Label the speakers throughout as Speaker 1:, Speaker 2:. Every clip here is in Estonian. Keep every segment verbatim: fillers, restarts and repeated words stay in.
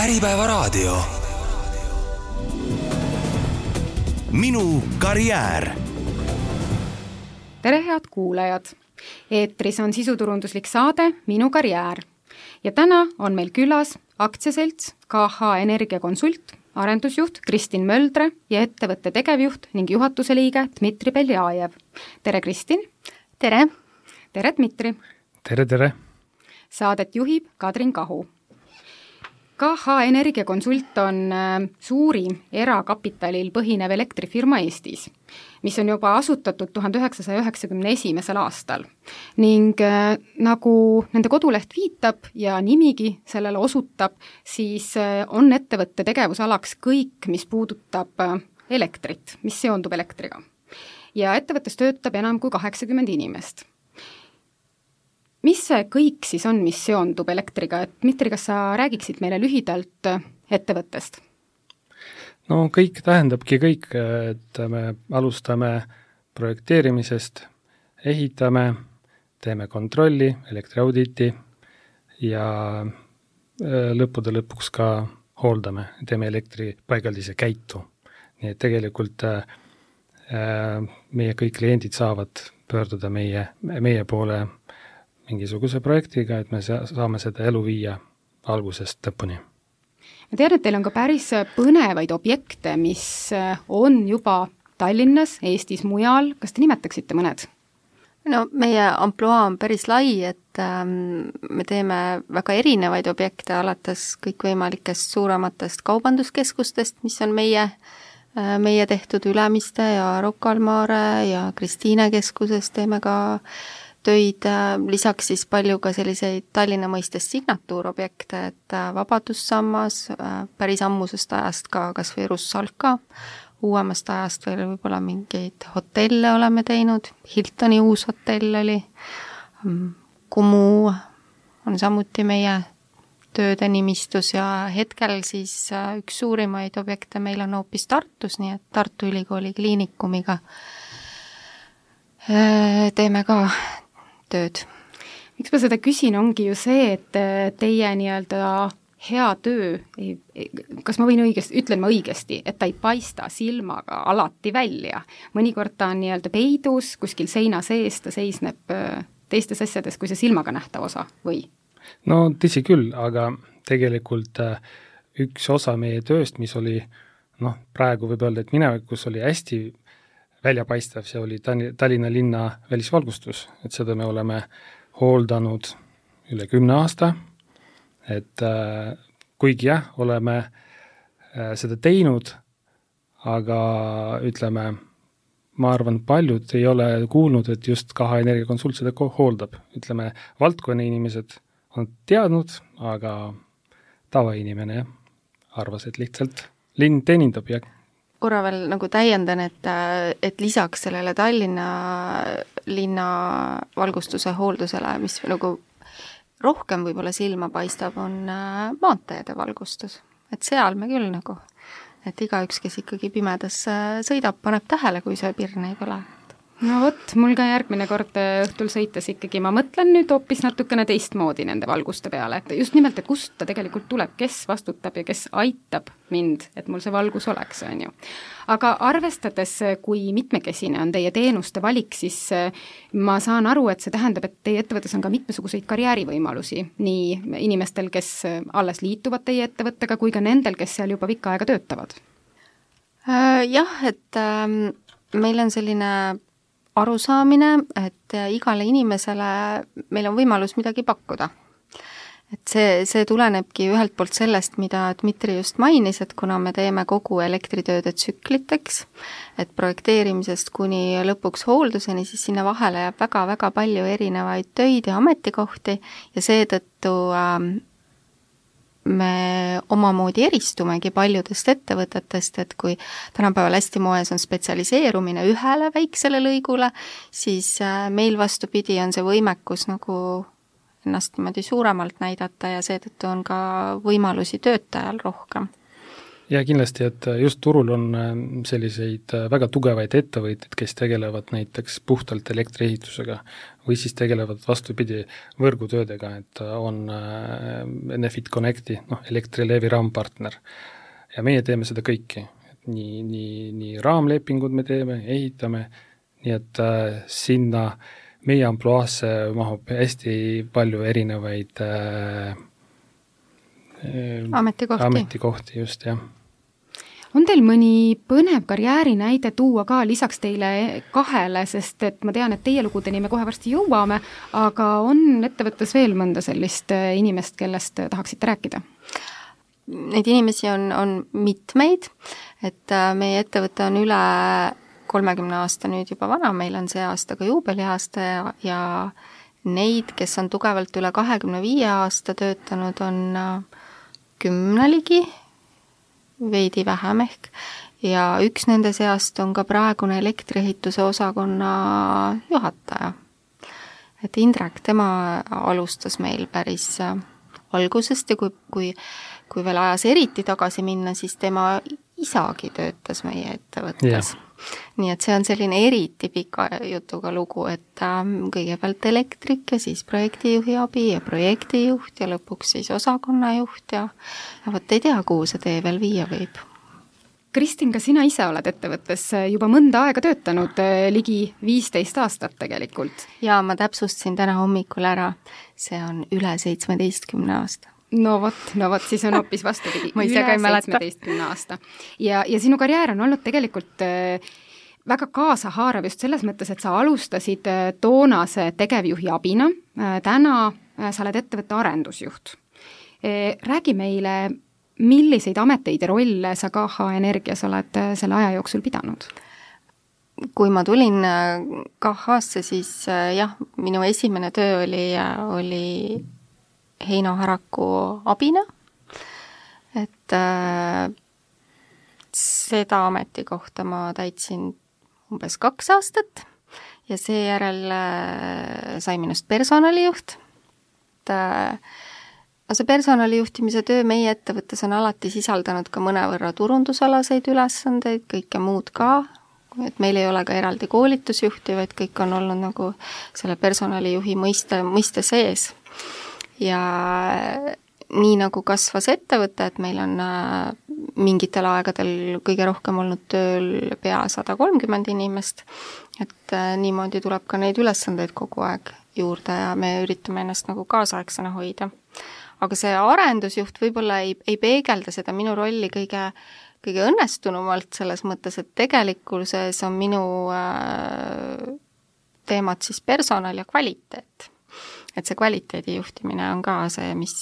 Speaker 1: Äripäevaraadio. Minu karjäär.
Speaker 2: Tere head kuulajad! Eetris on sisuturunduslik saade Minu karjäär. Ja täna on meil külas aktsiaselts K H Energiakonsult, arendusjuht Kristin Möldre ja ettevõtte tegevjuht ning juhatuse liige Dmitri Beljajev. Tere Kristin!
Speaker 3: Tere!
Speaker 2: Tere Dmitri!
Speaker 4: Tere, tere!
Speaker 2: Saadet juhib Kadrin Kahu. K H Energiakonsult on suurim erakapitalil põhinev elektrifirma Eestis, mis on juba asutatud tuhande üheksasaja üheksakümne esimesel aastal. Ning äh, nagu nende koduleht viitab ja nimigi sellele osutab, siis äh, on ettevõtte tegevusalaks kõik, mis puudutab äh, elektrit, mis seondub elektriga. Ja ettevõttes töötab enam kui kaheksakümmend inimest. Mis see kõik siis on, mis seondub elektriga? Et Dmitri, kas sa räägiksid meile lühidalt ettevõttest?
Speaker 4: No kõik tähendabki kõik, et me alustame projekteerimisest, ehitame, teeme kontrolli, elektriauditi ja lõppude lõpuks ka hooldame, teeme elektripaigaldise käitu. Nii et tegelikult meie kõik kliendid saavad pöörduda meie, meie poole mingisuguse projektiga, et me saame seda elu viia algusest lõpuni.
Speaker 2: Ma tean, et teil on ka päris põnevaid objekte, mis on juba Tallinnas, Eestis, mujal. Kas te nimetaksite mõned?
Speaker 3: No meie ampluaa on päris lai, et ähm, me teeme väga erinevaid objekte, alates kõikvõimalikest suurematest kaubanduskeskustest, mis on meie, äh, meie tehtud Ülemiste ja Rocca al Mare ja Kristiine keskuses teeme ka töid, lisaks siis palju ka selliseid Tallinna mõistes signatuurobjekte, et Vabadussammas, päris ammusest ajast ka kas või Russalka, uuemast ajast veel võib-olla mingeid hotelle oleme teinud, Hiltoni uus hotell oli, Kumu on samuti meie tööde nimistus ja hetkel siis üks suurimaid objekte meil on hoopis Tartus, nii et Tartu Ülikooli kliinikumiga teeme ka tööd. Miks ma seda küsin, ongi ju see, et teie nii-öelda hea töö, kas ma võin õigesti, ütlen ma õigesti, et ta ei paista silmaga alati välja. Mõnikord ta on nii-öelda peidus, kuskil seina sees, ta seisneb teistes asjades kui see silmaga nähtav osa, või?
Speaker 4: No tõsi küll, aga tegelikult üks osa meie tööst, mis oli, noh, praegu võib öelda, et minevikus oli hästi väljapaistev, see oli Tallinna linna välisvalgustus, et seda me oleme hooldanud üle kümne aasta, et äh, kuigi jah, oleme äh, seda teinud, aga ütleme, ma arvan, paljud ei ole kuulnud, et just K H Energiakonsult seda hooldab. Ütleme, valdkonna inimesed on teadnud, aga tavainimene jah, arvas, et lihtsalt linn teenindab ja
Speaker 3: korra veel nagu täiendan, et, et lisaks sellele Tallinna linna valgustuse hooldusele, mis nagu rohkem võib-olla silma paistab, on maanteede valgustus. Et seal me küll nagu, et igaüks, kes ikkagi pimedas sõidab, paneb tähele, kui see pirn ei põle.
Speaker 2: No võt, mul ka järgmine kord õhtul sõites ikkagi, ma mõtlen nüüd hoopis natukene teistmoodi nende valguste peale, et just nimelt, et kust ta tegelikult tuleb, kes vastutab ja kes aitab mind, et mul see valgus oleks, on ju. Aga arvestades, kui mitmekesine on teie teenuste valik, siis ma saan aru, et see tähendab, et teie ettevõttes on ka mitmesuguseid karjäärivõimalusi, nii inimestel, kes alles liituvad teie ettevõttega, kui ka nendel, kes seal juba pikka aega töötavad.
Speaker 3: Jah, et ähm, meil on selline arusaamine, et igale inimesele meil on võimalus midagi pakkuda. Et see, see tulenebki ühelt poolt sellest, mida Dmitri just mainis, et kuna me teeme kogu elektritööde tsükliteks, et projekteerimisest kuni lõpuks hoolduseni, siis sinna vahele jääb väga-väga palju erinevaid töid ja ametikohti ja seetõttu ähm, me omamoodi eristumegi paljudest ettevõtetest, et kui tänapäeval hästi moes on spetsialiseerumine ühele väiksele lõigule, siis meil vastupidi on see võimekus nagu ennast niimoodi suuremalt näidata ja seetõttu on ka võimalusi töötajal rohkem.
Speaker 4: ja kindlasti, et just turul on selliseid väga tugevaid ettevõtteid, kes tegelevad näiteks puhtalt elektriehitusega või siis tegelevad vastupidi võrgutöödega, et on Enefit Connecti, noh, Elektrilevi raampartner. Ja meie teeme seda kõiki. Nii, nii, nii raamlepingud me teeme, ehitame, nii et äh, sinna meie ampluaasse mahub hästi palju erinevaid äh,
Speaker 3: ametikohti.
Speaker 4: ametikohti, just, jah.
Speaker 2: On teil mõni põnev karjääri näide tuua ka lisaks teile kahele, sest et ma tean, et teie lugudeni me kohe varsti jõuame, aga on ettevõttes veel mõnda sellist inimest, kellest tahaksite rääkida?
Speaker 3: Neid inimesi on, on mitmeid, et meie ettevõte on üle kolmekümne aasta nüüd juba vana, meil on see aasta ka juubeliaasta ja, ja neid, kes on tugevalt üle kahekümne viie aasta töötanud, on kümne ligi, veidi vähem ehk, ja üks nende seast on ka praegune elektriehituse osakonna juhataja. Et Indrek, tema alustas meil päris algusest ja kui, kui, kui veel ajas eriti tagasi minna, siis tema isagi töötas meie ettevõttes. Yeah. Nii et see on selline eriti pika jutuga lugu, et ähm, kõigepealt elektrik ja siis projektijuhi abi ja projektijuht ja lõpuks siis osakonnajuht ja, ja võt ei tea, kuhu see tee veel viia võib.
Speaker 2: Kristin, ka sina ise oled ettevõttes juba mõnda aega töötanud, ligi viisteist aastat tegelikult.
Speaker 3: Jaa, ma täpsustasin täna hommikul ära, see on üle seitsmeteistkümne aasta.
Speaker 2: No vot, no vot, siis on hoopis vastupidi.
Speaker 3: Ma ise ka ei mäleta.
Speaker 2: seitsmeteistkümne aasta. Ja, ja sinu karjäär on olnud tegelikult väga kaasahaarav just selles mõttes, et sa alustasid toonase tegevjuhi abina. Täna sa oled ettevõtte arendusjuht. Räägi meile, milliseid ameteid ja rolle sa K H Energias oled selle aja jooksul pidanud?
Speaker 3: Kui ma tulin K H-sse, siis jah, minu esimene töö oli, oli Heino Haraku abina, et äh, seda ametikohta ma täitsin umbes kaks aastat ja seejärel äh, sai minust personalijuht. Et, äh, see personalijuhtimise töö meie ettevõttes on alati sisaldanud ka mõnevõrra turundusalaseid ülesandeid, kõike muud ka, et meil ei ole ka eraldi koolitusjuhti, vaid kõik on olnud nagu selle personalijuhi mõiste, mõiste sees. Ja nii nagu kasvas ettevõte, et meil on mingitel aegadel kõige rohkem olnud tööl pea sada kolmkümmend inimest, et niimoodi tuleb ka neid ülesandeid kogu aeg juurde ja me üritame ennast nagu kaasaegsena hoida. Aga see arendusjuht võib-olla ei, ei peegelda seda minu rolli kõige, kõige õnnestunumalt selles mõttes, et tegelikkuses on minu äh, teemad siis personal ja kvaliteet. Et see kvaliteedi juhtimine on ka see, mis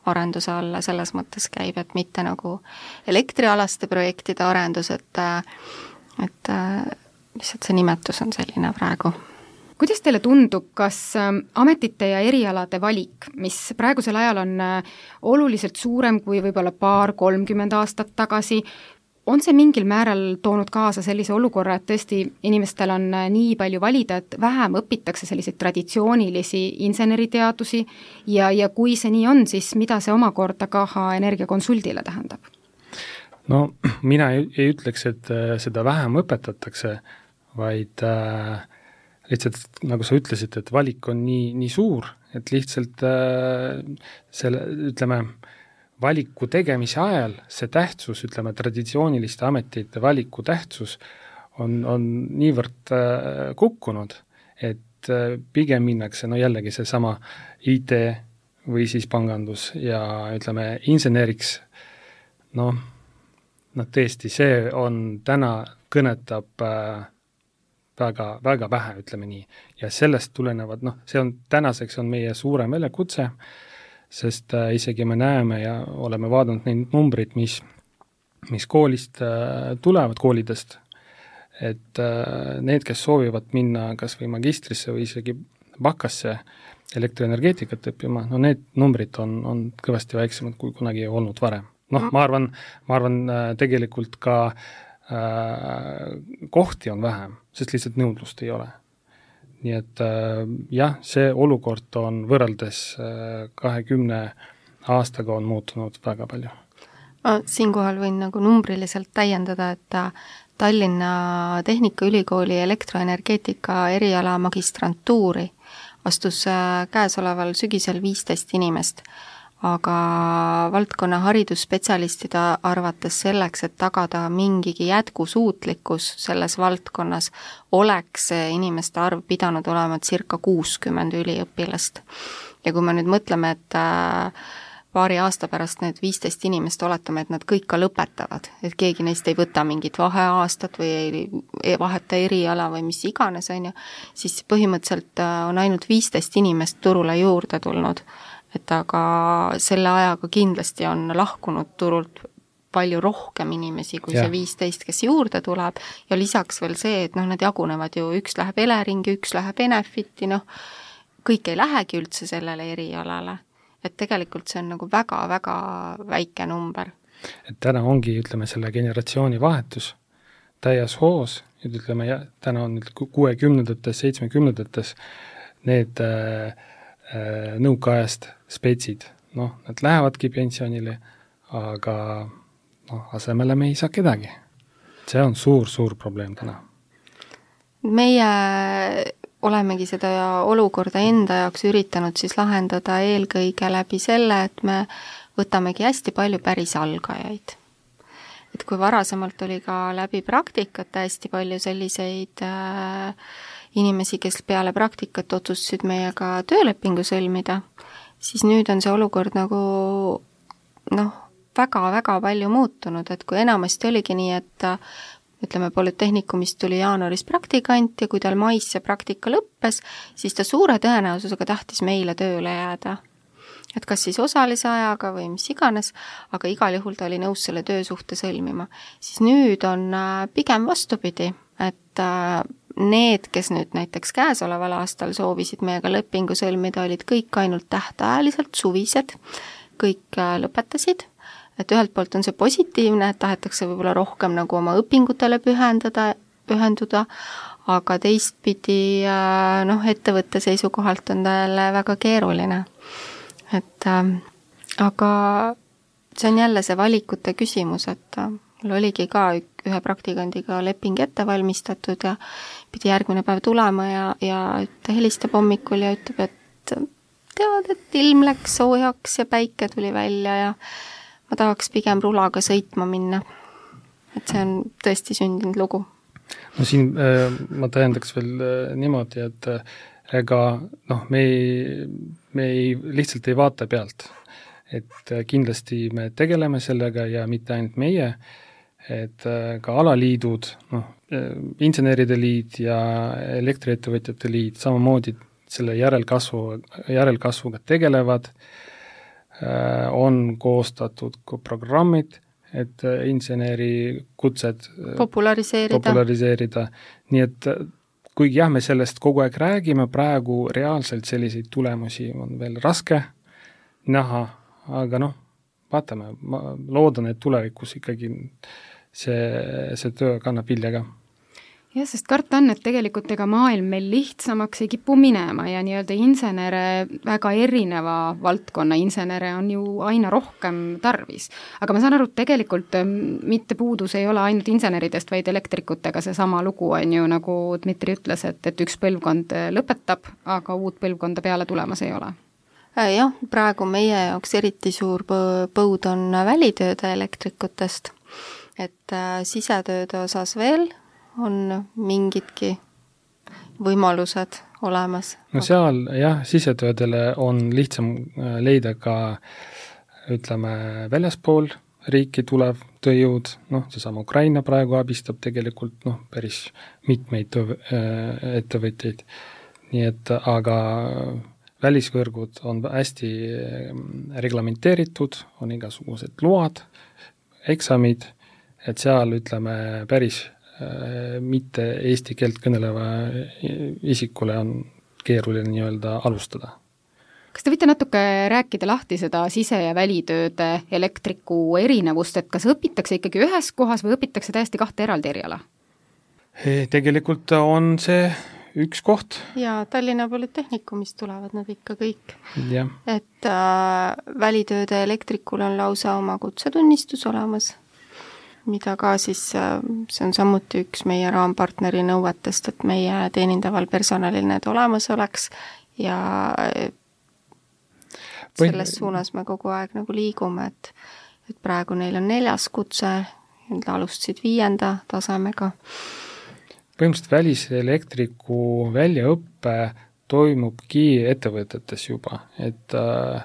Speaker 3: arenduse alla selles mõttes käib, et mitte nagu elektrialaste projektide arendus, et, et lihtsalt see nimetus on selline praegu.
Speaker 2: Kuidas teile tundub, kas ametite ja erialade valik, mis praegusel ajal on oluliselt suurem kui võib-olla paar kolmkümmend aastat tagasi, on see mingil määral toonud kaasa sellise olukorra, et tõesti inimestel on nii palju valida, et vähem õpitakse selliseid traditsioonilisi inseneriteadusi ja, ja kui see nii on, siis mida see omakorda K H Energia konsuldile tähendab?
Speaker 4: No mina ei, ei ütleks, et seda vähem õpetatakse, vaid äh, lihtsalt, nagu sa ütlesid, et valik on nii, nii suur, et lihtsalt äh, selle, ütleme, valiku tegemise ajal see tähtsus, ütleme, traditsiooniliste ametite valiku tähtsus on, on niivõrd äh, kukkunud, et äh, pigem minnakse, no jällegi see sama I T või siis pangandus ja ütleme, inseneriks, noh, no tõesti, see on täna kõnetab äh, väga, väga vähe, ütleme nii. Ja sellest tulenevad, noh, see on, tänaseks on meie suurem väljakutse, sest äh, isegi me näeme ja oleme vaadanud neid numbrid, mis, mis koolist äh, tulevad, koolidest, et äh, need, kes soovivad minna kas või magistrisse või isegi bakasse elektrienergeetikat õppima, no need numbrid on, on kõvasti väiksemad kui kunagi olnud varem. Noh, ma arvan, ma arvan äh, tegelikult ka äh, kohti on vähem, sest lihtsalt nõudlust ei ole. Nii et äh, jah, see olukord on võrreldes äh, kahekümne aastaga on muutunud väga palju.
Speaker 3: Ma siinkohal võin nagu numbriliselt täiendada, et Tallinna Tehnikaülikooli elektroenergeetika eriala magistrantuuri astus käesoleval sügisel viisteist inimest, aga valdkonna haridusspetsialistide arvates selleks, et tagada mingigi jätkusuutlikkus selles valdkonnas, oleks inimeste arv pidanud olema circa kuuskümmend üliõpilast. Ja kui me nüüd mõtleme, et paari aasta pärast need viisteist inimest oletame, et nad kõik ka lõpetavad, et keegi neist ei võta mingit vaheaastat või ei vaheta eriala või mis iganes, on ju, siis põhimõtteliselt on ainult viisteist inimest turule juurde tulnud, et aga selle ajaga kindlasti on lahkunud turult palju rohkem inimesi kui ja. see viisteist, kes juurde tuleb ja lisaks veel see, et noh, nad jagunevad ju, üks läheb Eleringi, üks läheb Enefiti, noh, kõik ei lähegi üldse sellele erialale. Et tegelikult see on nagu väga-väga väike number.
Speaker 4: Et täna ongi, ütleme, selle generatsiooni vahetus täies hoos, et ütleme, ja, täna on kuuekümnendates, seitsmekümnendates need äh, äh, nõukaajast spetsid, noh, nad lähevadki pensionile, aga noh, asemele me ei saa kedagi. See on suur-suur probleem täna.
Speaker 3: Meie olemegi seda olukorda enda jaoks üritanud siis lahendada eelkõige läbi selle, et me võtamegi hästi palju päris algajaid. Et kui varasemalt oli ka läbi praktikat hästi palju selliseid äh, inimesi, kes peale praktikat otsustasid meiega töölepingu sõlmida, siis nüüd on see olukord nagu noh, väga-väga palju muutunud, et kui enamasti oligi nii, et ütleme, Polütehnikumist tuli jaanuaris praktikant ja kui tal mais see praktika lõppes, siis ta suure tõenäosusega tahtis meile tööle jääda. Et kas siis osalise ajaga või mis iganes, aga igal juhul ta oli nõus selle töösuhte sõlmima. Siis nüüd on pigem vastupidi, et need, kes nüüd näiteks käesoleval aastal soovisid meiega lepingu sõlmida, olid kõik ainult tähtajaliselt suvised, kõik lõpetasid. Et ühelt poolt on see positiivne, et tahetakse võib-olla rohkem nagu oma õpingutele pühendada, pühenduda, aga teistpidi noh, ettevõtte seisukohalt on talle väga keeruline. Et äh, aga see on jälle see valikute küsimus, et mul oligi ka ühe praktikandiga leping ette valmistatud ja pidi järgmine päev tulema ja, ja ta helistab hommikul ja ütleb, et tead, et ilm läks soojaks ja päike tuli välja ja ma tahaks pigem rulaga sõitma minna. Et see on tõesti sündinud lugu.
Speaker 4: No siin äh, ma tähendaks veel äh, niimoodi, et äh, ega noh, me ei, me ei, lihtsalt ei vaata pealt. Et äh, kindlasti me tegeleme sellega ja mitte ainult meie, et äh, ka alaliidud, noh, äh, inseneride liit ja elektriettevõtjate liit samamoodi selle järelkasvu, järelkasvuga tegelevad, on koostatud programmid, et inseneri kutsed
Speaker 3: populariseerida.
Speaker 4: populariseerida. Nii et kuigi jah, me sellest kogu aeg räägime, praegu reaalselt selliseid tulemusi on veel raske näha, aga noh, vaatame, ma loodan, et tulevikus ikkagi see, see töö kannab vilja ka.
Speaker 2: Jah, sest karta on, et tegelikult ega maailm meil lihtsamaks ei kipu minema ja nii-öelda insenere, väga erineva valdkonna insenere on ju aina rohkem tarvis. Aga ma saan aru, et tegelikult mitte puudus ei ole ainult inseneridest, vaid elektrikutega see sama lugu on ju, nagu Dmitri ütles, et, et üks põlvkond lõpetab, aga uut põlvkonda peale tulemas ei ole.
Speaker 3: Jah, praegu meie jaoks eriti suur põud on välitööde elektrikutest, et sisetööde osas veel on mingidki võimalused olemas.
Speaker 4: No seal jah, sisetöödele on lihtsam leida ka ütleme väljaspool riiki tulev tööjõud, noh, seesama Ukraina praegu abistab tegelikult noh, päris mitmeid töö, ettevõtteid. Nii et aga välisvõrgud on hästi reglamenteeritud, on igasugused load, eksamid, et seal ütleme päris mitte eesti keelt kõneleva isikule on keeruline nii-öelda alustada.
Speaker 2: Kas te võite natuke rääkida lahti seda sise- ja välitööde elektriku erinevust, et kas õpitakse ikkagi ühes kohas või õpitakse täiesti kahte eraldi eriala?
Speaker 4: Tegelikult on see üks koht.
Speaker 3: Ja Tallinna Polütehnikumist tulevad nad ikka kõik.
Speaker 4: Ja.
Speaker 3: Et äh, välitööde elektrikul on lausa oma kutsetunnistus olemas, mida ka siis, äh, see on samuti üks meie raampartneri nõuetest, et meie teenindaval personalil need olemas oleks ja selles suunas me kogu aeg nagu liigume, et, et praegu neil on neljas kutse, nad alustasid viienda tasemega.
Speaker 4: Põhimõtteliselt väliselektriku väljaõppe toimubki ettevõtetes juba, et äh,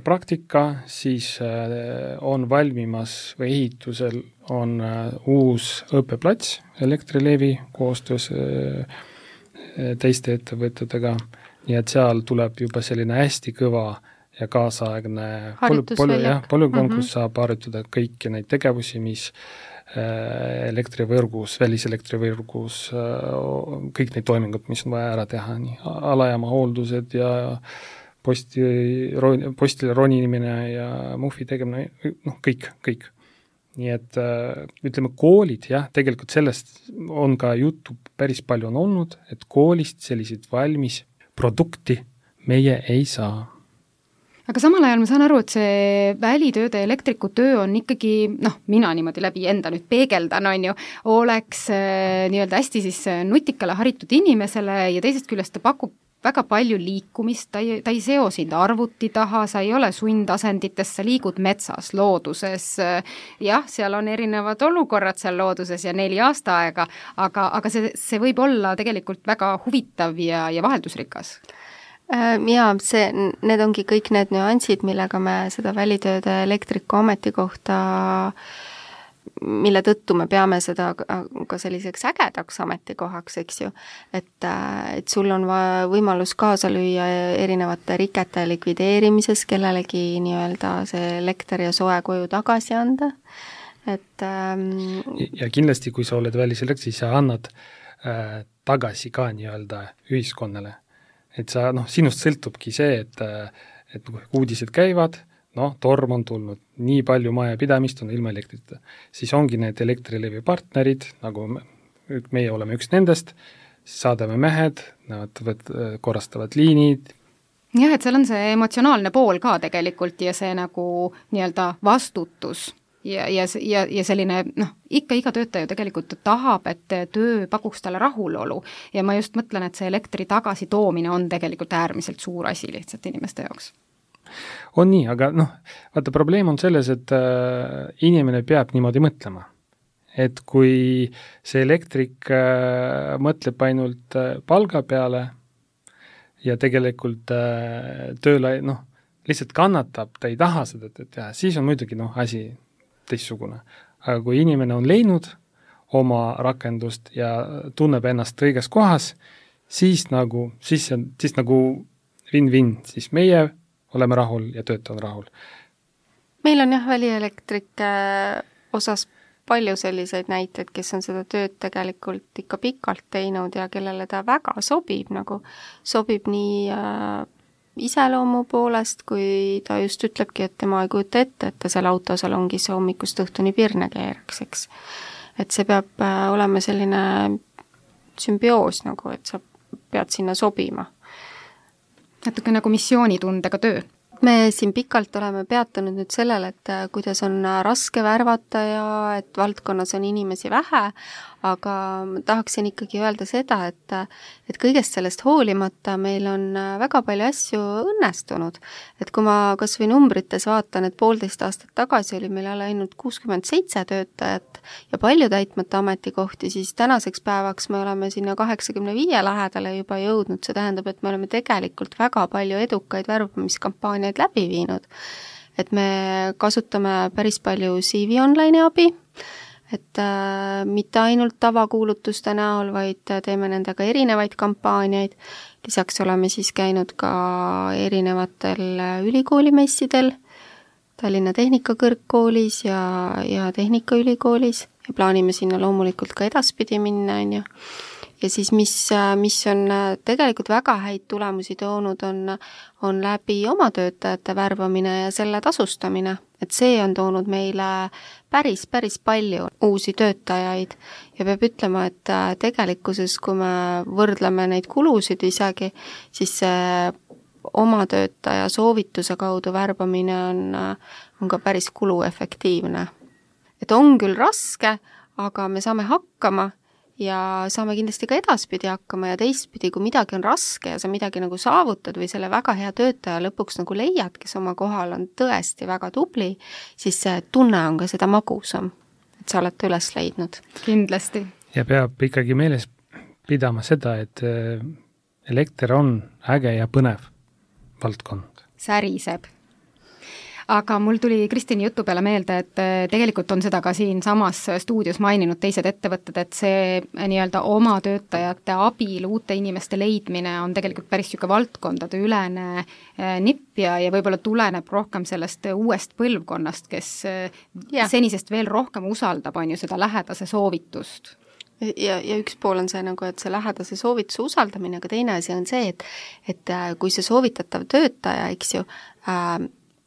Speaker 4: praktika siis äh, on valmimas või ehitusel on äh, uus õppeplats Elektrilevi koostöös äh, teiste ettevõtetega. Nii et seal tuleb juba selline hästi kõva ja kaasaegne
Speaker 3: harjutusväljak.
Speaker 4: Polügoon, kus mm -hmm. saab harjutada kõiki neid tegevusi, mis äh, elektrivõrgus, väliselektrivõrgus, äh, kõik neid toimingud, mis on vaja ära teha, nii alajaama hooldused ja posti, postile ronimine ja muhvi tegemine, noh kõik, kõik. Nii et äh, ütleme koolid, jah, tegelikult sellest on ka juttu päris palju on olnud, et koolist selliseid valmis produkti meie ei saa.
Speaker 2: Aga samal ajal ma saan aru, et see välitööde elektriku töö on ikkagi, noh, mina niimoodi läbi enda nüüd peegeldan, on ju, oleks äh, nii-öelda hästi siis nutikale haritud inimesele ja teisest küljest ta pakub väga palju liikumist, ta ei, ta ei seo sind arvuti taha, sa ei ole sundasendites, sa liigud metsas, looduses, jah, seal on erinevad olukorrad seal looduses ja neli aasta aega, aga, aga see, see võib olla tegelikult väga huvitav ja, ja vaheldusrikas.
Speaker 3: Jaa, see, need ongi kõik need nüansid, millega me seda välitööde elektriku ametikohta, mille tõttu me peame seda ka selliseks ägedaks ametikohaks, eks ju, et, et sul on võimalus kaasa lüüa erinevate rikete likvideerimises, kellelegi nii-öelda see elekter ja soe koju tagasi anda. Et, ähm,
Speaker 4: ja kindlasti, kui sa oled väliselekter, siis sa annad äh, tagasi ka nii-öelda ühiskonnale. Et sa, noh, sinust sõltubki see, et, et uudised käivad, noh, torm on tulnud, nii palju majapidamist on ilma elektrita. Siis ongi need Elektrilevi partnerid, nagu meie oleme üks nendest, saadame mehed, nad võt, korrastavad liinid.
Speaker 2: Jah, et seal on see emotsionaalne pool ka tegelikult ja see nagu nii-öelda vastutus ja, ja, ja, ja selline, noh, ikka iga töötaja tegelikult tahab, et töö pakuks talle rahulolu ja ma just mõtlen, et see elektri tagasi toomine on tegelikult äärmiselt suur asi lihtsalt inimeste jaoks.
Speaker 4: On nii, aga noh, vaata probleem on selles, et äh, inimene peab niimoodi mõtlema. Et kui see elektrik äh, mõtleb ainult äh, palga peale ja tegelikult äh, tööle, noh, lihtsalt kannatab, ta ei taha seda teha, siis on muidugi noh, asi teistsugune. Aga kui inimene on leidnud oma rakendust ja tunneb ennast õiges kohas, siis nagu, siis, siis nagu win-win, siis meie oleme rahul ja töötaja on rahul.
Speaker 3: Meil on jah välieelektrike osas palju selliseid näiteid, kes on seda tööd tegelikult ikka pikalt teinud ja kellele ta väga sobib, nagu sobib nii äh, iseloomu poolest, kui ta just ütlebki, et tema ei kujuta ette, et ta seal autosalongis hommikust õhtuni pirne keeraks, eks. Et see peab äh, olema selline sümbioos nagu, et sa pead sinna sobima.
Speaker 2: Natuke nagu missioonitundega töö.
Speaker 3: Me siin pikalt oleme peatunud nüüd sellele, et kuidas on raske värvata ja et valdkonnas on inimesi vähe, aga tahaksin ikkagi öelda seda, et, et kõigest sellest hoolimata meil on väga palju asju õnnestunud. Et kui ma kas või numbrites vaatan, et poolteist aastat tagasi oli meil ainult kuuskümmend seitse töötajat ja palju täitmata ametikohti, siis tänaseks päevaks me oleme sinna kaheksakümne viie lähedale juba jõudnud. See tähendab, et me oleme tegelikult väga palju edukaid värbamiskampaaniaid läbi viinud. Et me kasutame päris palju C V Online'i abi, et äh, mitte ainult tavakuulutuste näol, vaid teeme nendega erinevaid kampaaniaid. Lisaks oleme siis käinud ka erinevatel ülikoolimessidel, Tallinna Tehnikakõrgkoolis ja, ja Tehnikaülikoolis ja plaanime sinna loomulikult ka edaspidi minna, on ju. Ja siis mis, mis on tegelikult väga häid tulemusi toonud, on, on läbi oma töötajate värbamine ja selle tasustamine. et see on toonud meile päris, päris palju uusi töötajaid ja peab ütlema, et tegelikkuses, kui me võrdleme neid kulusid isegi, siis see oma töötaja soovituse kaudu värbamine on, on ka päris kuluefektiivne. Et on küll raske, aga me saame hakkama ja saame kindlasti ka edaspidi hakkama ja teistpidi, kui midagi on raske ja sa midagi nagu saavutad või selle väga hea töötaja lõpuks nagu leiad, kes oma kohal on tõesti väga tubli, siis see tunne on ka seda magusam, et sa oled üles leidnud.
Speaker 2: Kindlasti.
Speaker 4: Ja peab ikkagi meeles pidama seda, et elekter on äge ja põnev valdkond.
Speaker 2: Säriseb. Aga mul tuli Kristini jutu peale meelde, et tegelikult on seda ka siin samas stuudios maininud teised ettevõtted, et see nii-öelda oma töötajate abil uute inimeste leidmine on tegelikult päris niisugune valdkondade ülene nipp ja, ja võib-olla tuleneb rohkem sellest uuest põlvkonnast, kes ja. senisest veel rohkem usaldab, on ju seda lähedase soovitust.
Speaker 3: Ja, ja üks pool on see nagu, et see lähedase soovituse usaldamine, aga teine asi on see, et, et kui see soovitatav töötaja, eks ju, äh,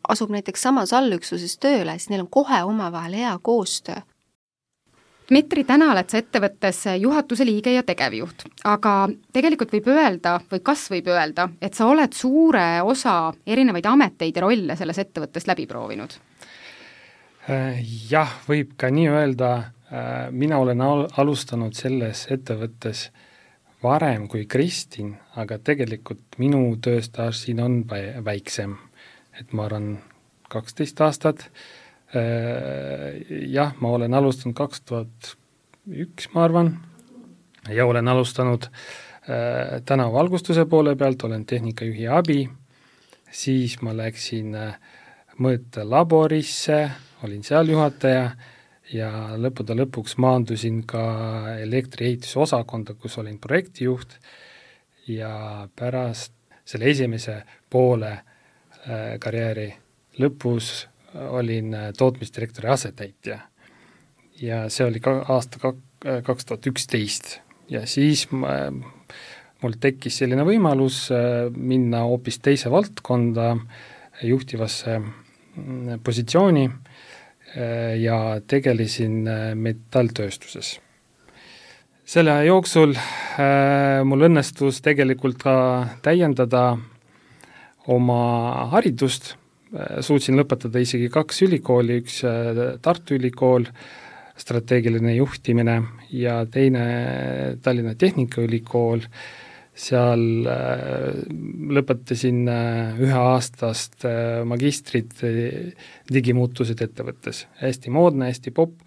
Speaker 3: asub näiteks samas allüksuses tööle, siis neil on kohe omavahel hea koostöö.
Speaker 2: Dmitri, täna oled sa ettevõttes juhatuse liige ja tegevjuht, aga tegelikult võib öelda, või kas võib öelda, et sa oled suure osa erinevaid ameteid ja rolle selles ettevõttes läbi proovinud?
Speaker 4: Jah, võib ka nii öelda. Mina olen alustanud selles ettevõttes varem kui Kristin, aga tegelikult minu tööstaaž siin on väiksem. Et ma arvan kaksteist aastat. Jah, ma olen alustanud kaks tuhat üks, ma arvan, ja olen alustanud täna valgustuse poole pealt, olen tehnikajuhi abi, siis ma läksin mõõtelaborisse, olin seal juhataja ja lõppude lõpuks maandusin ka elektriehituse osakonda, kus olin projektijuht ja pärast selle esimese poole karjääri lõpus olin tootmisdirektori asetäitja ja see oli ka aasta kaks tuhat üksteist ja siis ma, mul tekkis selline võimalus minna hoopis teise valdkonda juhtivasse positsiooni ja tegelesin metalltööstuses. Selle jooksul mul õnnestus tegelikult ka täiendada oma haridust, suutsin lõpetada isegi kaks ülikooli, üks Tartu Ülikool, strateegiline juhtimine ja teine Tallinna Tehnikaülikool, seal lõpetasin üheaastast magistrit digimuutused ettevõttes. Hästi moodne, hästi popp,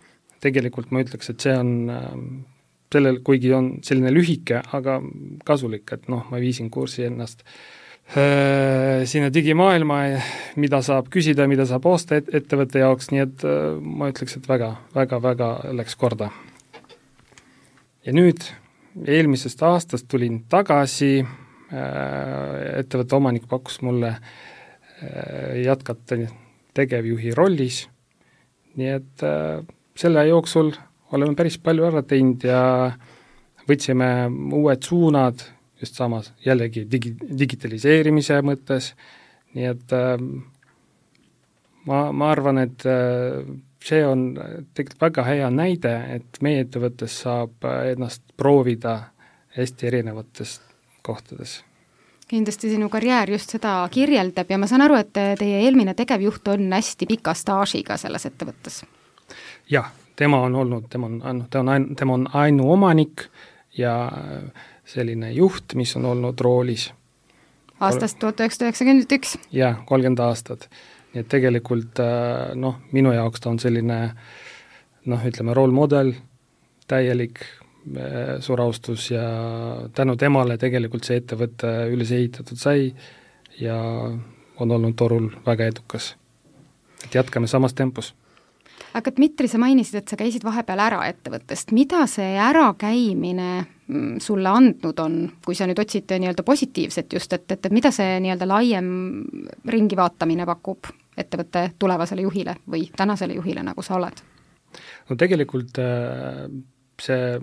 Speaker 4: tegelikult ma ütleks, et see on sellel, kuigi on selline lühike, aga kasulik, et noh, ma viisin kursi ennast sinna digimaailma, mida saab küsida, mida saab osta et, ettevõtte jaoks, nii et ma ütleks, et väga, väga, väga läks korda. Ja nüüd eelmisest aastast tulin tagasi, ettevõtte omanik pakkus mulle jätkata tegevjuhi rollis, nii et selle jooksul oleme päris palju ära teinud ja võtsime uued suunad, just samas jällegi digi, digitaliseerimise mõttes, nii et äh, ma, ma arvan, et äh, see on tegelikult väga hea näide, et meie ettevõttes saab ennast proovida hästi erinevates kohtades.
Speaker 2: Kindlasti sinu karjäär just seda kirjeldab ja ma saan aru, et teie eelmine tegevjuht on hästi pika staažiga selles ettevõttes.
Speaker 4: Jah, tema on olnud, tema on, tema on, tema on ainuomanik ja selline juht, mis on olnud roolis.
Speaker 2: Aastast tuhat üheksasada üheksakümmend üks.
Speaker 4: Jah, kolmkümmend aastat. Nii et tegelikult noh, minu jaoks ta on selline noh, ütleme roolmodel, täielik suur austus ja tänu temale tegelikult see ettevõte üles ehitatud sai ja on olnud torul väga edukas. Et jätkame samas tempos.
Speaker 2: Aga Dmitri, sa mainisid, et sa käisid vahepeal ära ettevõttest. Mida see ärakäimine sulle andnud on, kui sa nüüd otsid nii-öelda positiivset just, et, et, et mida see nii-öelda laiem ringi vaatamine pakub ettevõtte tulevasele juhile või tänasele juhile, nagu sa oled?
Speaker 4: No tegelikult see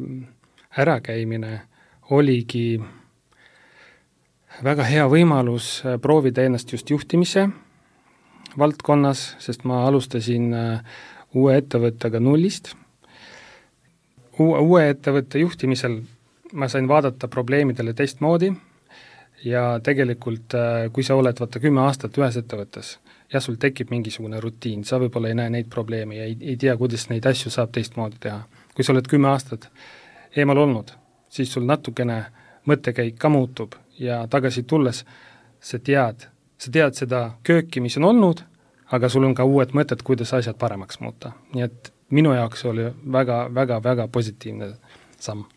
Speaker 4: ärakäimine oligi väga hea võimalus proovida ennast just juhtimise valdkonnas, sest ma alustasin uue ettevõttega nullist. Uue, uue ettevõtte juhtimisel ma sain vaadata probleemidele teistmoodi ja tegelikult, kui sa oled vaata kümme aastat ühes ettevõttes, ja sul tekib mingisugune rutiin, sa võib-olla ei näe neid probleeme ja ei, ei tea, kuidas neid asju saab teistmoodi teha. Kui sa oled kümme aastat eemal olnud, siis sul natukene mõttekäik ka muutub ja tagasi tulles sa tead, sa tead seda kööki, mis on olnud, aga sul on ka uued mõtted, kuidas asjad paremaks muuta. Nii et minu jaoks oli väga, väga, väga positiivne samm.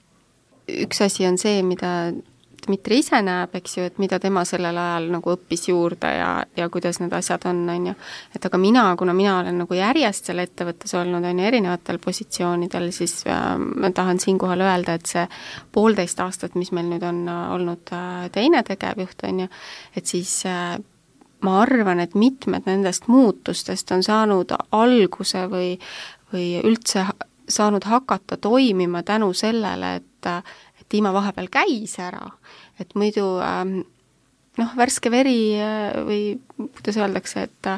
Speaker 3: Üks asi on see, mida Dmitri ise näeb, eks ju, et mida tema sellel ajal nagu õppis juurde ja, ja kuidas need asjad on, on ju. Et aga mina, kuna mina olen nagu järjest selle ettevõttes olnud, on ju, erinevatel positsioonidel, siis äh, ma tahan siinkohal öelda, et see poolteist aastat, mis meil nüüd on olnud äh, teine tegevjuht, on ju, et siis äh, ma arvan, et mitmed nendest muutustest on saanud alguse või, või üldse saanud hakata toimima tänu sellele, et Tiima vahepeal käis ära, et muidu ähm, noh, värske veri või kuidas öeldakse, et,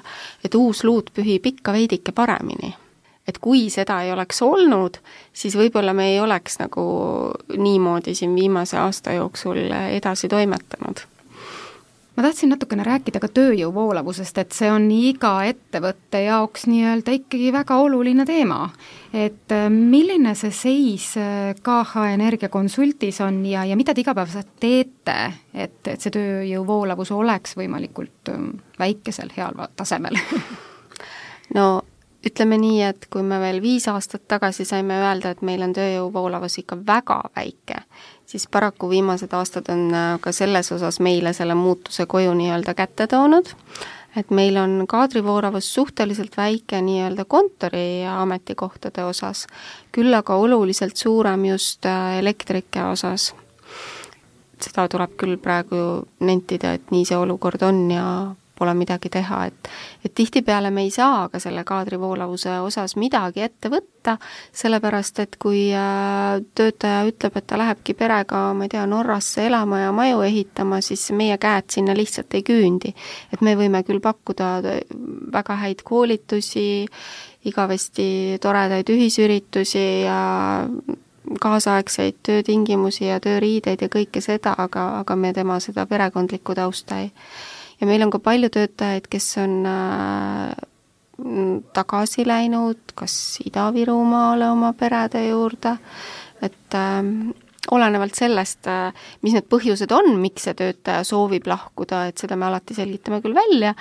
Speaker 3: et uus luud pühib ikka veidike paremini. Et kui seda ei oleks olnud, siis võib-olla me ei oleks nagu niimoodi siin viimase aasta jooksul edasi toimetanud.
Speaker 2: Ma tahtsin natukene rääkida ka tööjõu voolavusest, et see on iga ettevõtte jaoks nii-öelda ikkagi väga oluline teema. Et milline see seis K H Energia konsultis on ja, ja mida te igapäevaselt teete, et, et see tööjõu voolavus oleks võimalikult väikesel heal tasemel?
Speaker 3: No ütleme nii, et kui me veel viis aastat tagasi saime öelda, et meil on tööjõu voolavus ikka väga väike, siis paraku viimased aastad on ka selles osas meile selle muutuse koju nii-öelda kätte toonud, et meil on kaadrivoolavus suhteliselt väike nii-öelda kontori ja ametikohtade osas, küll aga oluliselt suurem just elektrike osas. Seda tuleb küll praegu nentida, et nii see olukord on ja pole midagi teha, et, et tihtipeale me ei saa ka selle kaadrivoolavuse osas midagi ette võtta, sellepärast, et kui töötaja ütleb, et ta lähebki perega, ma ei tea, Norrasse elama ja maju ehitama, siis meie käed sinna lihtsalt ei küündi. Et me võime küll pakkuda väga häid koolitusi, igavesti toredaid ühisüritusi ja kaasaegseid töötingimusi ja tööriideid ja kõike seda, aga, aga me tema seda perekondlikku tausta ei. Ja meil on ka palju töötajaid, kes on äh, tagasi läinud, kas Ida-Virumaale oma perede juurde, et äh, olenevalt sellest, äh, mis need põhjused on, miks see töötaja soovib lahkuda, et seda me alati selgitame küll välja,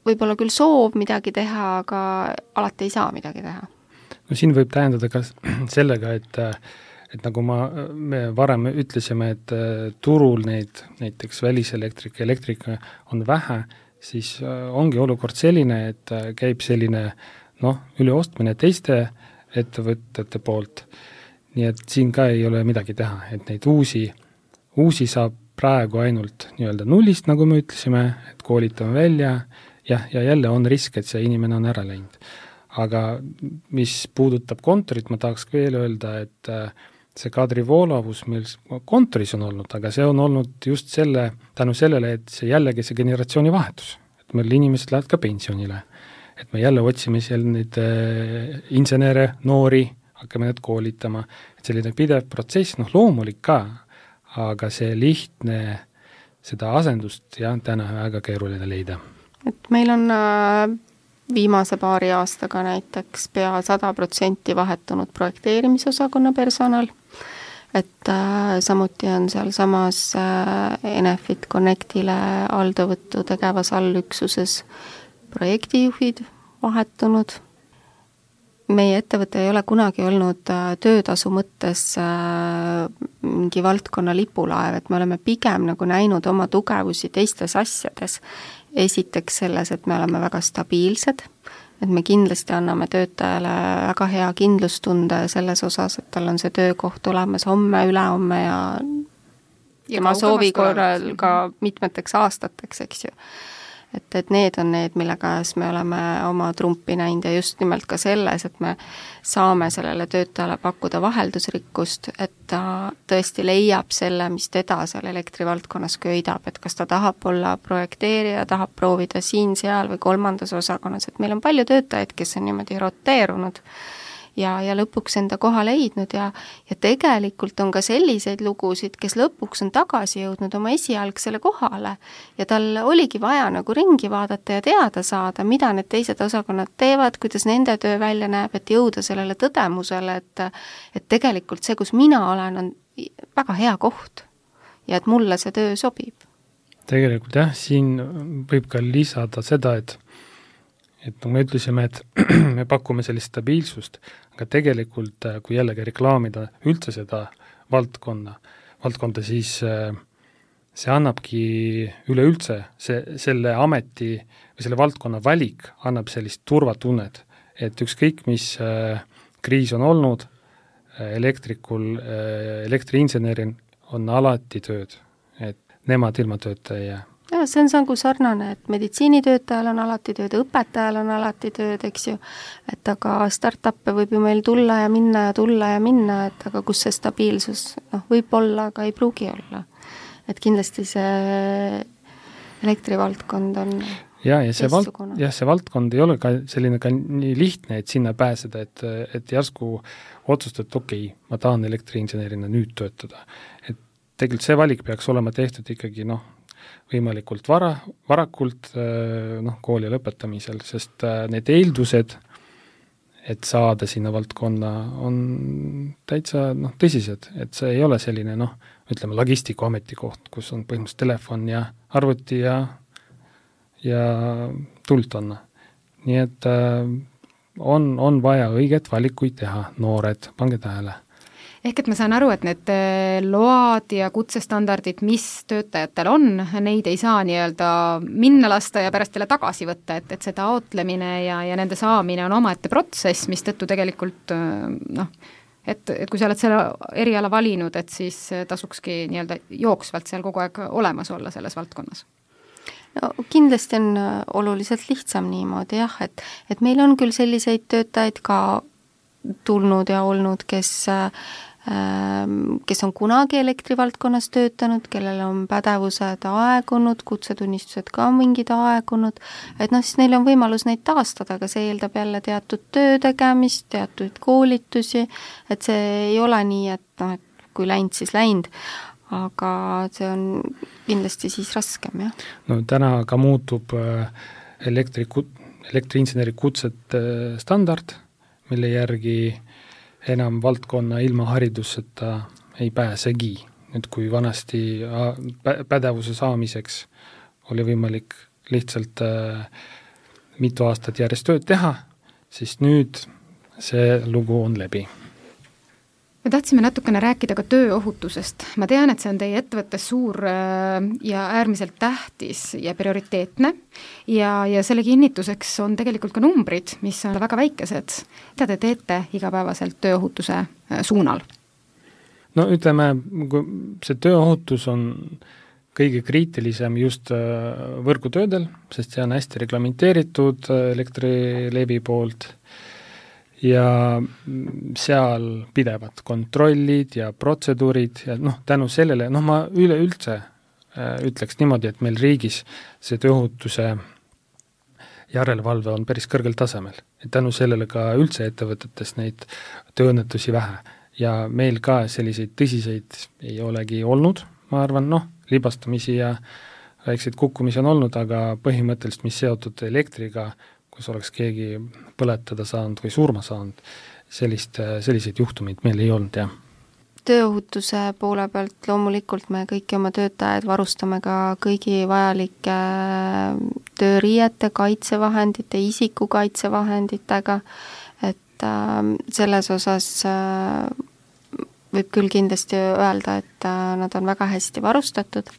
Speaker 3: võib-olla küll soov midagi teha, aga alati ei saa midagi teha.
Speaker 4: No siin võib tähendada ka sellega, et et nagu ma, me varem ütlesime, et turul neid näiteks väliselektrika, elektrika on vähe, siis ongi olukord selline, et käib selline noh, üleostmine teiste ettevõtete poolt. Nii et siin ka ei ole midagi teha, et neid uusi, uusi saab praegu ainult nii-öelda nullist, nagu me ütlesime, et koolitame välja ja, ja jälle on risk, et see inimene on ära läinud. Aga mis puudutab kontorit, ma tahaks veel öelda, et see kaadrivoolavus meil kontoris on olnud, aga see on olnud just selle, tänu sellele, et see jällegi see generatsiooni vahetus. Et meil inimesed lähevad ka pensionile. Et me jälle otsime seal neid äh, insenere, noori, hakkame need koolitama. Et selline pidev protsess, noh loomulik ka, aga see lihtne, seda asendust ja täna väga keeruline leida.
Speaker 3: Et meil on äh, viimase paari aastaga näiteks pea sada protsenti vahetunud projekteerimisosakonna personal, et äh, samuti on seal samas äh, Enefit Connectile aldavõttu tegevas allüksuses projektijuhid vahetunud. Meie ettevõte ei ole kunagi olnud äh, töötasu mõttes äh, mingi valdkonna lipulaev, et me oleme pigem nagu näinud oma tugevusi teistes asjades. Esiteks selles, et me oleme väga stabiilsed, et me kindlasti anname töötajale väga hea kindlustunde selles osas, et tal on see töökoht olemas homme, ülehomme ja, ja ma soovi korral ka mitmeteks aastateks, eks ju. et, et need on need, mille käes me oleme oma trumpi näinud ja just nimelt ka selles, et me saame sellele töötajale pakkuda vaheldusrikkust, et ta tõesti leiab selle, mis teda seal elektrivaldkonnas köidab, et kas ta tahab olla projekteerija, tahab proovida siin, seal või kolmandas osakonnas, et meil on palju töötajaid, kes on niimoodi roteerunud ja, ja lõpuks enda koha leidnud ja, ja tegelikult on ka selliseid lugusid, kes lõpuks on tagasi jõudnud oma esialgsele kohale ja tal oligi vaja nagu ringi vaadata ja teada saada, mida need teised osakonnad teevad, kuidas nende töö välja näeb, et jõuda sellele tõdemusele, et, et tegelikult see, kus mina olen, on väga hea koht ja et mulle see töö sobib.
Speaker 4: Tegelikult jah, siin võib ka lisada seda, et et nagu me ütlesime, et me pakume sellist stabiilsust, aga tegelikult kui jällegi reklaamida üldse seda valdkonna, valdkonda, siis see annabki üleüldse, see, selle ameti või selle valdkonna valik annab sellist turvatunnet, et ükskõik, mis kriis on olnud, elektrikul, elektriinsenerin on alati tööd, et nemad ilma tööta ei jää.
Speaker 3: Ja, see on nagu sarnane, et meditsiinitöötajal on alati tööd, õpetajal on alati tööd, eks ju, et aga start-up'e võib ju meil tulla ja minna ja tulla ja minna, et aga kus see stabiilsus, noh, võib olla, aga ei pruugi olla. Et kindlasti see elektrivaldkond on
Speaker 4: ja, ja see, vald, jah, see valdkond ei ole ka selline ka nii lihtne, et sinna pääseda, et, et järsku otsustad, et okei, okay, ma tahan elektriinsenerina nüüd töötada. Et tegelikult see valik peaks olema tehtud ikkagi, noh, võimalikult vara, varakult noh, kooli lõpetamisel, sest need eeldused, et saada sinna valdkonna, on täitsa noh, tõsised, et see ei ole selline noh, ütleme logistiku ametikoht, kus on põhimõtteliselt telefon ja arvuti ja, ja tuld on. Nii et on, on vaja õiget valikuid teha, noored, pange tähele.
Speaker 2: Ehk et ma saan aru, et need load ja kutsestandardid, mis töötajatel on, neid ei saa nii-öelda minna lasta ja pärast jälle tagasi võtta, et, et see taotlemine ja, ja nende saamine on omaette protsess, mis tõttu tegelikult noh, et, et kui sa oled selle eriala valinud, et siis tasukski nii-öelda jooksvalt seal kogu aeg olemas olla selles valdkonnas.
Speaker 3: No kindlasti on oluliselt lihtsam niimoodi jah, et, et meil on küll selliseid töötajaid ka tulnud ja olnud, kes kes on kunagi elektrivaldkonnas töötanud, kellel on pädevused aegunud, kutsetunnistused ka mingid aegunud, et noh, siis neil on võimalus neid taastada, aga see eeldab jälle teatud töö tegemist, teatud koolitusi, et see ei ole nii, et noh, et kui läinud, siis läinud, aga see on kindlasti siis raskem, jah.
Speaker 4: No täna ka muutub elektri, elektriinseneri kutset standard, mille järgi enam valdkonna ilma hariduseta ei pääsegi. Nüüd kui vanasti pädevuse saamiseks oli võimalik lihtsalt äh, mitu aastat järjest tööd teha, siis nüüd see lugu on läbi.
Speaker 2: Me tahtsime natukene rääkida ka tööohutusest. Ma tean, et see on teie ettevõttes suur ja äärmiselt tähtis ja prioriteetne ja, ja selle kinnituseks on tegelikult ka numbrid, mis on väga väikesed. Mida te teete igapäevaselt tööohutuse suunal?
Speaker 4: No ütleme, see tööohutus on kõige kriitilisem just võrgutöödel, sest see on hästi reglamenteeritud Elektrilevi poolt ja seal pidevad kontrollid ja protseduurid ja noh, tänu sellele, noh ma üleüldse äh, ütleks niimoodi, et meil riigis see tööohutuse järelevalve on päris kõrgel tasemel, et tänu sellele ka üldse ettevõtetes neid tööõnnetusi vähe ja meil ka selliseid tõsiseid ei olegi olnud, ma arvan, noh, libastamisi ja väikseid kukkumisi on olnud, aga põhimõtteliselt, mis seotud elektriga, kus oleks keegi põletada saanud või surma saanud, sellist, selliseid juhtumeid meil ei olnud, jah.
Speaker 3: Tööohutuse poole pealt loomulikult me kõiki oma töötajaid varustame ka kõigi vajalike tööriiete, kaitsevahendite, isikukaitsevahenditega, et äh, selles osas äh, võib küll kindlasti öelda, et äh, nad on väga hästi varustatud.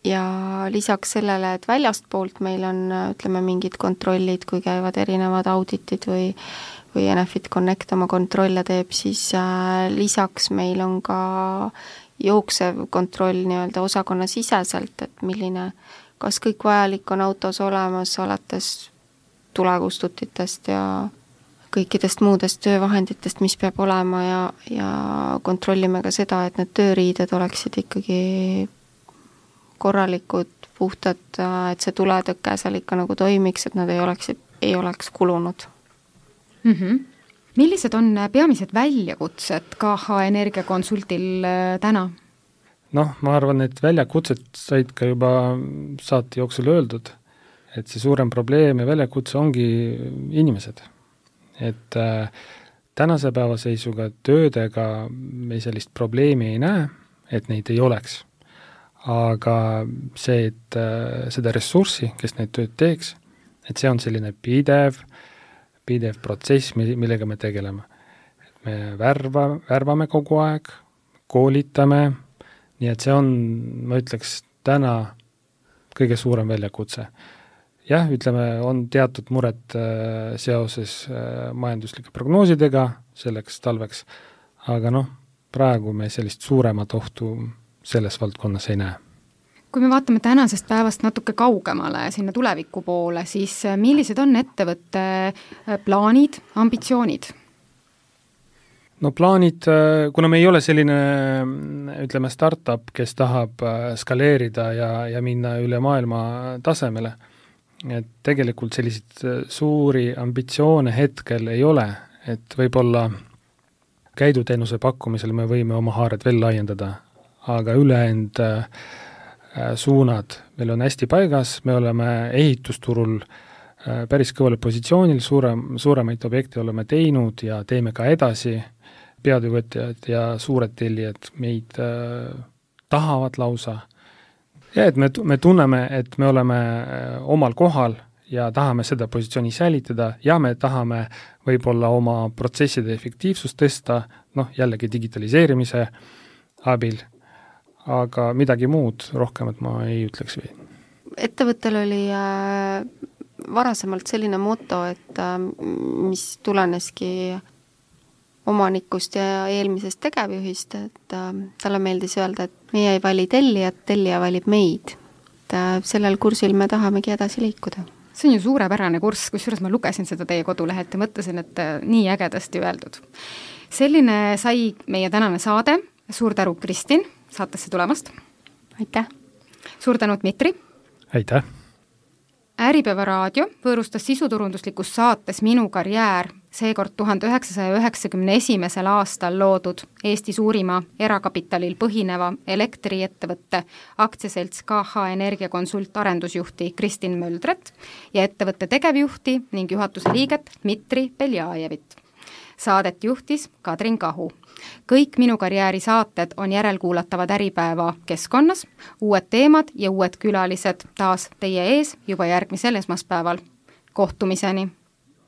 Speaker 3: Ja lisaks sellele, et väljast poolt meil on, ütleme, mingid kontrollid, kui käivad erinevad auditid või, või Enefit Connect oma kontrolle teeb, siis äh, lisaks meil on ka jooksev kontroll nii-öelda osakonna siseselt, et milline kas kõik vajalik on autos olemas, alates tulekustutitest ja kõikidest muudest töövahenditest, mis peab olema ja, ja kontrollime ka seda, et need tööriided oleksid ikkagi korralikud, puhtad, et see tuletõke seal ikka nagu toimiks, et nad ei oleks, ei oleks kulunud.
Speaker 2: Mm-hmm. Millised on peamised väljakutsed K H Energiakonsultil täna?
Speaker 4: Noh, ma arvan, et väljakutsed said ka juba saate jooksul öeldud, et see suurem probleem ja väljakutse ongi inimesed. Et äh, tänase päeva seisuga töödega me sellist probleemi ei näe, et neid ei oleks. Aga see, et äh, seda ressurssi, kes neid tööd teeks, et see on selline pidev, pidev protsess, millega me tegeleme. Et me värva, värvame kogu aeg, koolitame, nii et see on, ma ütleks, täna kõige suurem väljakutse. Jah, ütleme, on teatud muret äh, seoses äh, majanduslike prognoosidega selleks talveks, aga noh, praegu me sellist suuremat ohtu selles valdkonnas ei näe.
Speaker 2: Kui me vaatame tänasest päevast natuke kaugemale sinna tuleviku poole, siis millised on ettevõtte plaanid, ambitsioonid?
Speaker 4: No plaanid, kuna me ei ole selline, ütleme, startup, kes tahab skaleerida ja, ja minna üle maailma tasemele, et tegelikult selliseid suuri ambitsioone hetkel ei ole, et võib-olla käiduteenuse pakkumisel me võime oma haared veel laiendada, aga üleend äh, suunad meil on hästi paigas, me oleme ehitusturul äh, päris kõvale positsioonil, suurem, suuremaid objekte oleme teinud ja teeme ka edasi, peatöövõtjad ja suured tellijad meid äh, tahavad lausa. Ja et me, me tunneme, et me oleme omal kohal ja tahame seda positsiooni säilitada ja me tahame võib-olla oma protsesside efektiivsust tõsta, noh jällegi digitaliseerimise abil, aga midagi muud rohkemat ma ei ütleks või.
Speaker 3: Ettevõttel oli äh, varasemalt selline moto, et äh, mis tuleneski omanikust ja eelmisest tegevjuhist, et äh, talle meeldis öelda, et meie ei vali tellijat, tellija valib meid. Et, äh, sellel kursil me tahamegi edasi liikuda.
Speaker 2: See on ju suurepärane kurss, kusjuures ma lugesin seda teie kodulehelt ja mõtlesin, et äh, nii ägedasti öeldud. Selline sai meie tänane saade. Suur tänu, Kristin, saatesse tulemast.
Speaker 3: Aitäh.
Speaker 2: Suur tänu, Dmitri.
Speaker 4: Aitäh.
Speaker 2: Äripäeva raadio võõrustas sisuturunduslikus saates Minu karjäär, seekord tuhande üheksasaja üheksakümne esimesel aastal loodud Eesti suurima erakapitalil põhineva elektriettevõtte aktsiaselts K H Energiakonsult arendusjuhti Kristin Möldret ja ettevõtte tegevjuhti ning juhatuse liiget Dmitri Beljajevit. Saadet juhtis Kadrin Kahu. Kõik Minu karjääri saated on järelkuulatavad Äripäeva keskkonnas, uued teemad ja uued külalised taas teie ees juba järgmisel esmaspäeval. Kohtumiseni!